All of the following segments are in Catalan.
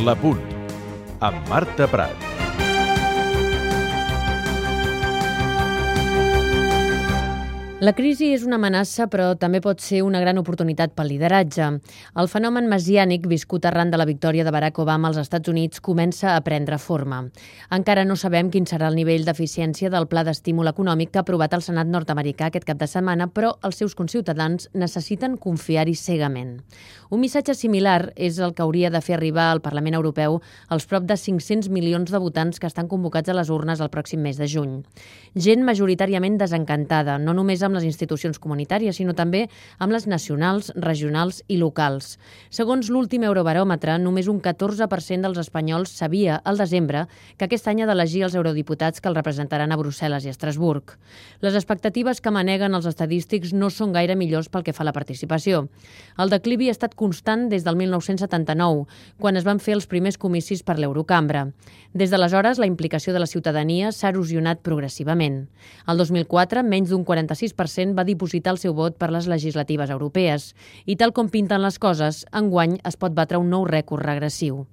La Punt, amb Marta Prat. La crisi és una amenaça, però també pot ser una gran oportunitat pel lideratge. El fenomen messiànic viscut arran de la victòria de Barack Obama als Estats Units comença a prendre forma. Encara no sabem quin serà el nivell d'eficiència del pla d'estímul econòmic que ha aprovat el Senat nord-americà aquest cap de setmana, però els seus conciutadans necessiten confiar-hi cegament. Un missatge similar és el que hauria de fer arribar al Parlament Europeu als prop de 500 milions de votants que estan convocats a les urnes el pròxim mes de juny. Gent majoritàriament desencantada, no només amb les institucions comunitàries, sinó també amb les nacionals, regionals i locals. Segons l'últim Eurobaròmetre, només un 14% dels espanyols sabia al desembre que aquest any ha d'elegir els eurodiputats que el representaran a Brussel·les i a Estrasburg. Les expectatives que maneguen els estadístics no són gaire millors pel que fa a la participació. El declivi ha estat constant des del 1979, quan es van fer els primers comicis per l'Eurocambra. Des d'aleshores, la implicació de la ciutadania s'ha erosionat progressivament. El 2004, menys d'un 46% va dipositar el seu vot per les legislatives europees i, tal com pinten les coses, enguany es pot batre un nou rècord regressiu.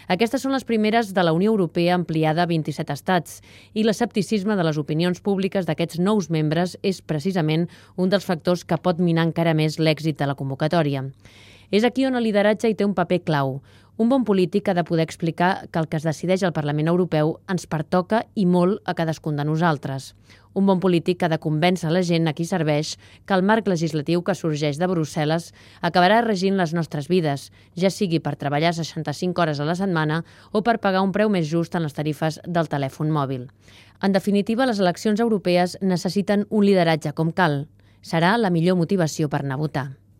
Aquestes són les primeres de la Unió Europea ampliada a 27 estats i l'escepticisme de les opinions públiques d'aquests nous membres és precisament un dels factors que pot minar encara més l'èxit de la convocatòria. És aquí on el lideratge hi té un paper clau. Un bon polític ha de poder explicar que el que es decideix al Parlament Europeu ens pertoca i molt a cadascun de nosaltres. Un bon polític ha de convèncer la gent a qui serveix que el marc legislatiu que sorgeix de Brussel·les acabarà regint les nostres vides, ja sigui per treballar 65 hores a la setmana o per pagar un preu més just en les tarifes del telèfon mòbil. En definitiva, les eleccions europees necessiten un lideratge com cal. Serà la millor motivació per anar a votar.